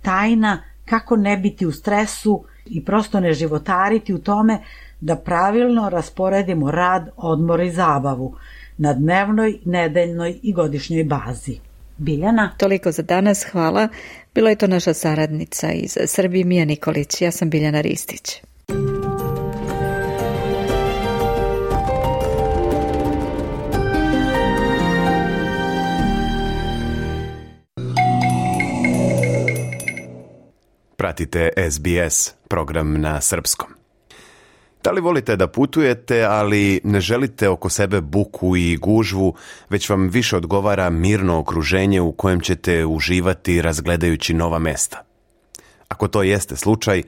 tajna kako ne biti u stresu i prosto ne životariti u tome da pravilno rasporedimo rad, odmor i zabavu na dnevnoj, nedeljnoj i godišnjoj bazi. Biljana? Toliko za danas, hvala. Bila je to naša saradnica iz Srbije, Mija Nikolić. Ja sam Biljana Ristić. Pratite es bi es, program na srpskom. Da li volite da putujete, ali ne želite oko sebe buku i gužvu, već vam više odgovara mirno okruženje u kojem ćete uživati razgledajući nova mesta? Ako to jeste slučaj,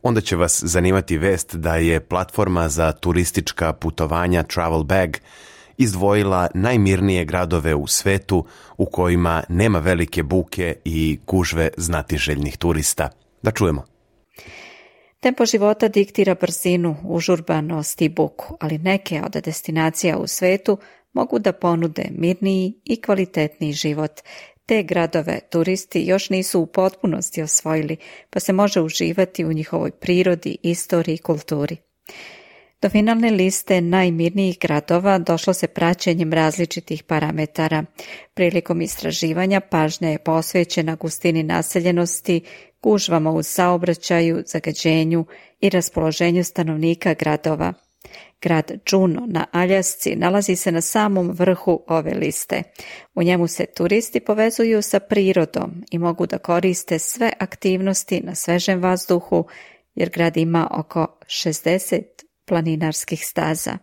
onda će vas zanimati vest da je platforma za turistička putovanja Travel Bag izdvojila najmirnije gradove u svetu u kojima nema velike buke i gužve znatiželjnih turista. Da čujemo. Tempo života diktira brzinu, užurbanost i buku, ali neke od destinacija u svetu mogu da ponude mirniji i kvalitetniji život. Te gradove turisti još nisu u potpunosti osvojili, pa se može uživati u njihovoj prirodi, istoriji i kulturi. Do finalne liste najmirnijih gradova došlo se praćenjem različitih parametara. Prilikom istraživanja pažnja je posvećena gustini naseljenosti, gužvama u saobraćaju, zagađenju i raspoloženju stanovnika gradova. Grad Juneau na Aljasci nalazi se na samom vrhu ove liste. U njemu se turisti povezuju sa prirodom i mogu da koriste sve aktivnosti na svežem vazduhu, jer grad ima oko šezdeset planinarskih staza.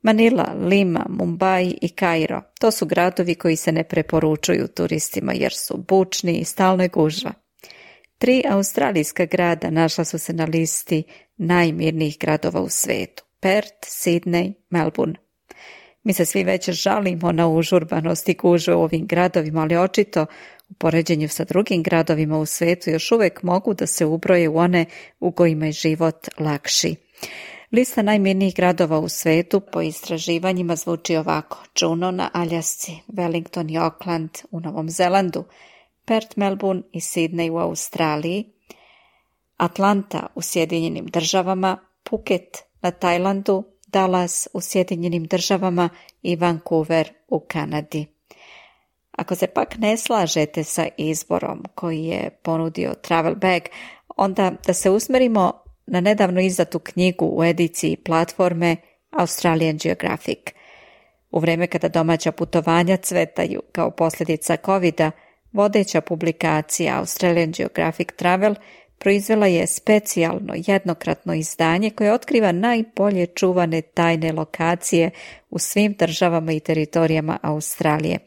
Manila, Lima, Mumbai i Kairo, to su gradovi koji se ne preporučuju turistima jer su bučni i stalno je gužva. Tri australijska grada našla su se na listi najmirnijih gradova u svetu. Perth, Sydney, Melbourne. Mi se svi već žalimo na užurbanost i gužve u ovim gradovima, ali očito u poređenju sa drugim gradovima u svetu još uvek mogu da se ubroje u one u kojima je život lakši. Lista najmirnijih gradova u svetu po istraživanjima zvuči ovako: Juneau na Aljasci, Wellington i Auckland u Novom Zelandu, Perth, Melbourne i Sydney u Australiji, Atlanta u Sjedinjenim državama, Phuket na Tajlandu, Dallas u Sjedinjenim državama i Vancouver u Kanadi. Ako se pak ne slažete sa izborom koji je ponudio Travel Bag, onda da se usmerimo na nedavno izdatu knjigu u ediciji platforme Australian Geographic. U vreme kada domaća putovanja cvetaju kao posljedica kovida, vodeća publikacija Australian Geographic Travel proizvela je specijalno jednokratno izdanje koje otkriva najbolje čuvane tajne lokacije u svim državama i teritorijama Australije.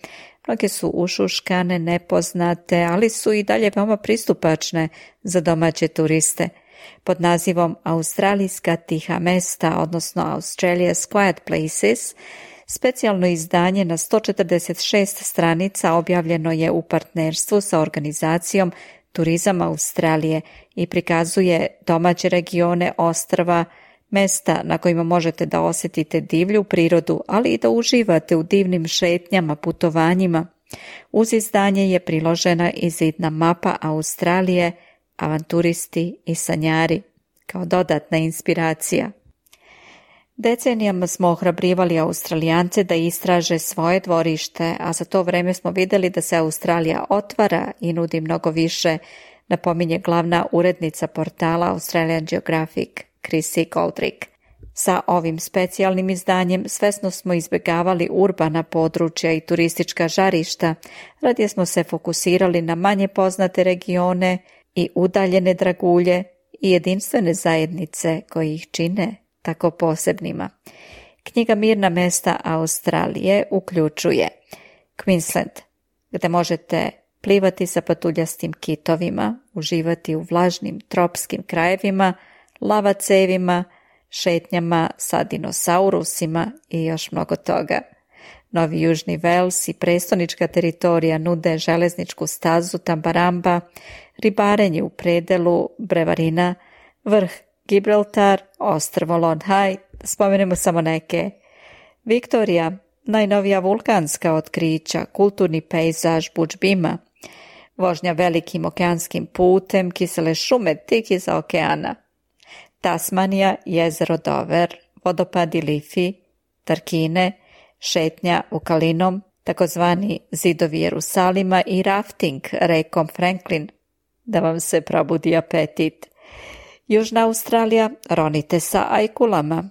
Mnoge su ušuškane, nepoznate, ali su i dalje veoma pristupačne za domaće turiste. Pod nazivom Australijska tiha mesta, odnosno Australia's Quiet Places, specijalno izdanje na sto četrdeset šest stranica objavljeno je u partnerstvu sa organizacijom Turizam Australije i prikazuje domaće regione, ostrva, mesta na kojima možete da osjetite divlju prirodu, ali i da uživate u divnim šetnjama, putovanjima. Uz izdanje je priložena i zidna mapa Australije, avanturisti i sanjari, kao dodatna inspiracija. Decenijama smo ohrabrivali Australijance da istraže svoje dvorište, a za to vreme smo vidjeli da se Australija otvara i nudi mnogo više, napominje glavna urednica portala Australian Geographic, Chrissy Goldrick. Sa ovim specijalnim izdanjem svesno smo izbjegavali urbana područja i turistička žarišta, radije smo se fokusirali na manje poznate regione i udaljene dragulje i jedinstvene zajednice koji ih čine tako posebnima. Knjiga Mirna mesta Australije uključuje Queensland, gdje možete plivati sa patuljastim kitovima, uživati u vlažnim tropskim krajevima, lavacevima, šetnjama sa dinosaurusima i još mnogo toga. Novi Južni Vels i prestonička teritorija nude železničku stazu Tambaramba, ribarenje u predelu Brevarina, vrh Gibraltar, ostrvo Lone High, spomenemo samo neke. Viktorija, najnovija vulkanska otkrića, kulturni pejzaž Budžbima, vožnja velikim okeanskim putem, kisele šume tik iza okeana. Tasmanija, jezero Dover, vodopadi Liffey, Tarkine, šetnja u Kalinom, takozvani zidovi Jerusalima i rafting rekom Franklin, da vam se probudi apetit. Južna Australija, ronite sa ajkulama,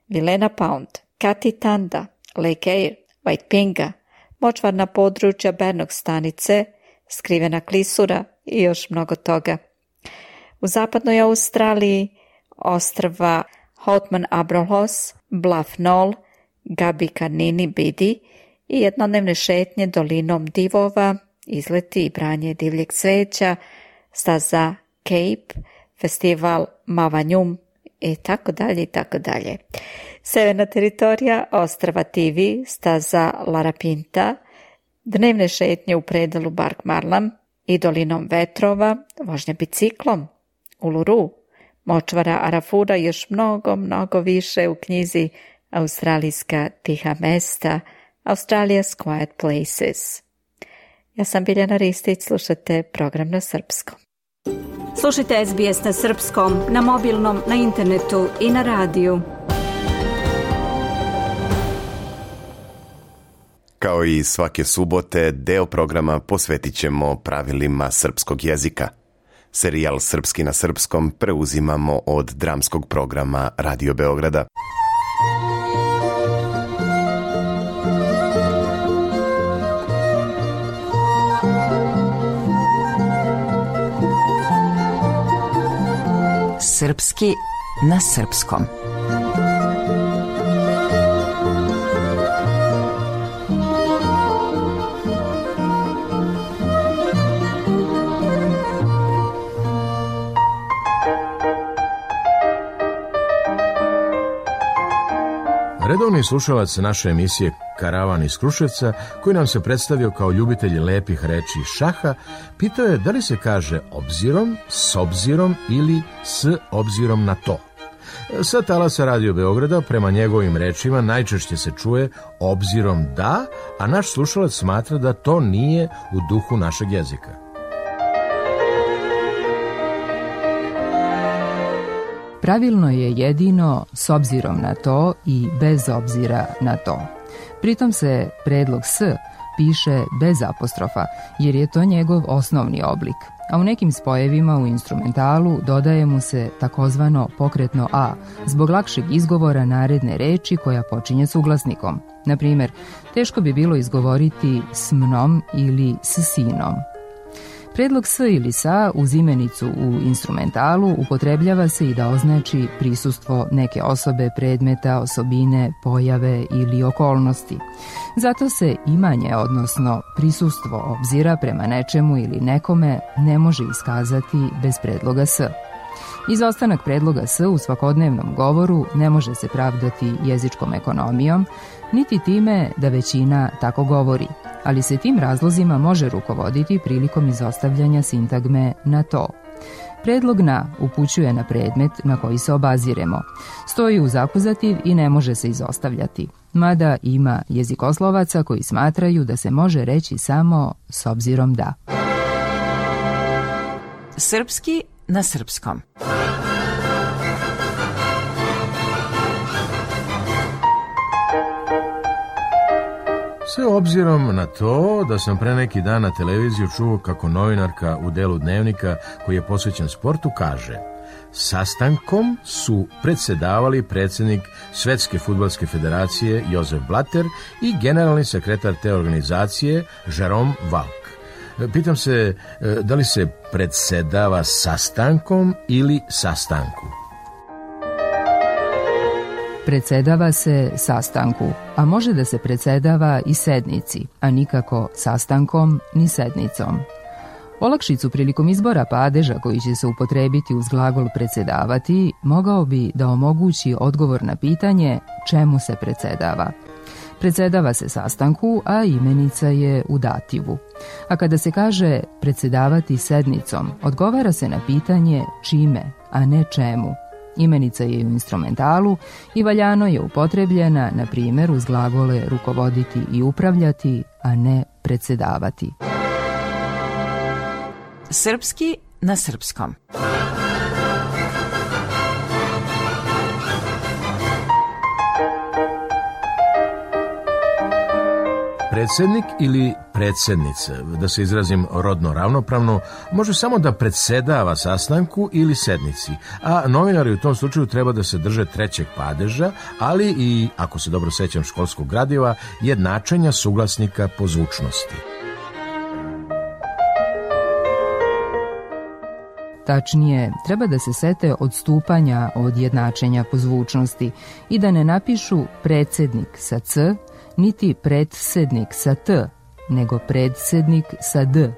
Vilena Pound, Katitanda, Lake Eyre, Waipinga, močvarna područja Bernog stanice, skrivena klisura i još mnogo toga. U zapadnoj Australiji ostrva Houtman Abrolhos, Bluff Knoll, Gabi Kanini Bidi i jednodnevne šetnje dolinom divova, izleti i branje divljeg cveća, staza Cape, festival Mavanjum i tako dalje i tako dalje. Severna teritorija ostrva Tivi, staza Larapinta, dnevne šetnje u predelu Bark Marlam i dolinom vetrova, vožnja biciklom, Uluru, močvara Arafura i još mnogo, mnogo više u knjizi Australijska tiha mesta, Australia's Quiet Places. Ja sam Biljana Ristić, slušate program na srpskom. Slušajte S B S na srpskom, na mobilnom, na internetu i na radiju. Kao i svake subote, deo programa posvetit ćemo pravilima srpskog jezika. Serijal Srpski na srpskom preuzimamo od dramskog programa Radio Beograda. Srpski na srpskom. Redovni slušalac naše emisije Karavan iz Kruševca, koji nam se predstavio kao ljubitelj lepih reči šaha, pitao je da li se kaže obzirom, s obzirom ili s obzirom na to. Sa talasa Radio Beograda, prema njegovim rečima, najčešće se čuje obzirom da, a naš slušalac smatra da to nije u duhu našeg jezika. Pravilno je jedino s obzirom na to i bez obzira na to. Pritom se predlog s piše bez apostrofa, jer je to njegov osnovni oblik, a u nekim spojevima u instrumentalu dodaje mu se takozvano pokretno a, zbog lakšeg izgovora naredne reči koja počinje s uglasnikom. Na primjer, teško bi bilo izgovoriti s mnom ili s sinom. Predlog s ili sa uz imenicu u instrumentalu upotrebljava se i da označi prisustvo neke osobe, predmeta, osobine, pojave ili okolnosti. Zato se imanje, odnosno prisustvo obzira prema nečemu ili nekome, ne može iskazati bez predloga s. Izostanak predloga s u svakodnevnom govoru ne može se pravdati jezičkom ekonomijom, niti time da većina tako govori, ali se tim razlozima može rukovoditi prilikom izostavljanja sintagme na to. Predlog na upućuje na predmet na koji se obaziremo, stoji uz akuzativ i ne može se izostavljati, mada ima jezikoslovaca koji smatraju da se može reći samo s obzirom da. Srpski na srpskom. Sve obzirom na to da sam pre neki dan na televiziju čuo kako novinarka u delu dnevnika koji je posvećen sportu kaže: sastankom su predsedavali predsjednik Svetske fudbalske federacije Josef Blatter i generalni sekretar te organizacije Jerome Valk. Pitam se da li se predsedava sastankom ili sastanku? Predsedava se sastanku, a može da se predsedava i sednici, a nikako sastankom ni sednicom. Olakšicu prilikom izbora padeža koji će se upotrebiti uz glagol predsedavati mogao bi da omogući odgovor na pitanje čemu se predsedava. Predsedava se sastanku, a imenica je u dativu. A kada se kaže predsedavati sednicom, odgovara se na pitanje čime, a ne čemu. Imenica je u instrumentalu i valjano je upotrebljena, na primjer, uz glagole rukovoditi i upravljati, a ne predsedavati. Srpski na srpskom. Predsjednik ili predsjednica, da se izrazim rodno ravnopravno, može samo da predsedava sastanku ili sednici, a novinari u tom slučaju treba da se drže trećeg padeža, ali i, ako se dobro sećam školskog gradiva, jednačenja suglasnika po zvučnosti. Tačnije, treba da se sete odstupanja od jednačenja po zvučnosti i da ne napišu predsjednik sa c, niti predsednik sa t, nego predsednik sa d.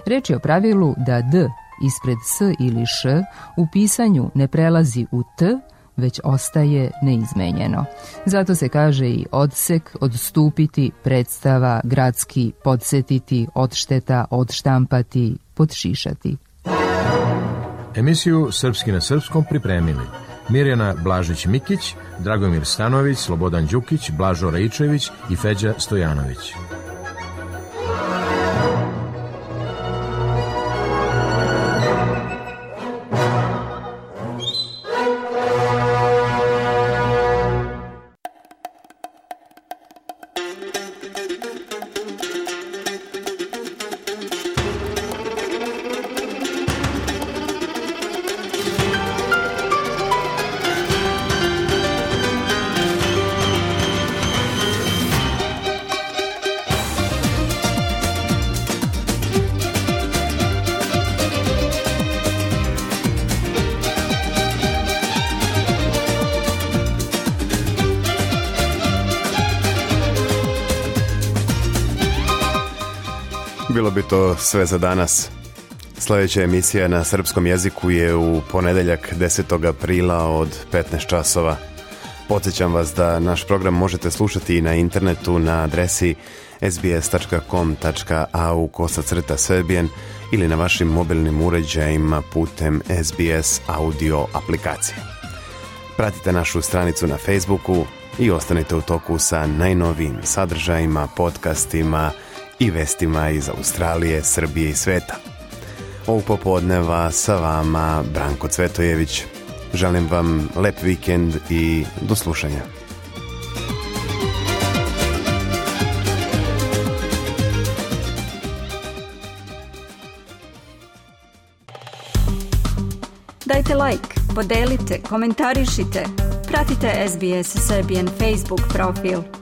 Reč je o pravilu da d ispred s ili š u pisanju ne prelazi u t, već ostaje neizmenjeno. Zato se kaže i odsek, odstupiti, predstava, gradski, podsjetiti, odšteta, odštampati, podšišati. Emisiju Srpski na srpskom pripremili Mirjana Blažić-Mikić, Dragomir Stanović, Slobodan Đukić, Blažo Raičević i Feđa Stojanović. Bilo bi to sve za danas. Sljedeća emisija na srpskom jeziku je u ponedeljak desetog aprila od petnaest časova. Podsjećam vas da naš program možete slušati i na internetu na adresi es bi es tačka com tačka a u kosacrta serbian ili na vašim mobilnim uređajima putem es bi es audio aplikacije. Pratite našu stranicu na Facebooku i ostanite u toku sa najnovijim sadržajima, podcastima i vestima iz Australije, Srbije i sveta. Ovog popodneva sa vama Branko Cvetojević. Želim vam lep vikend i do slušanja. Dajte like, podelite, komentarišite. Pratite es bi es Serbian Facebook profil.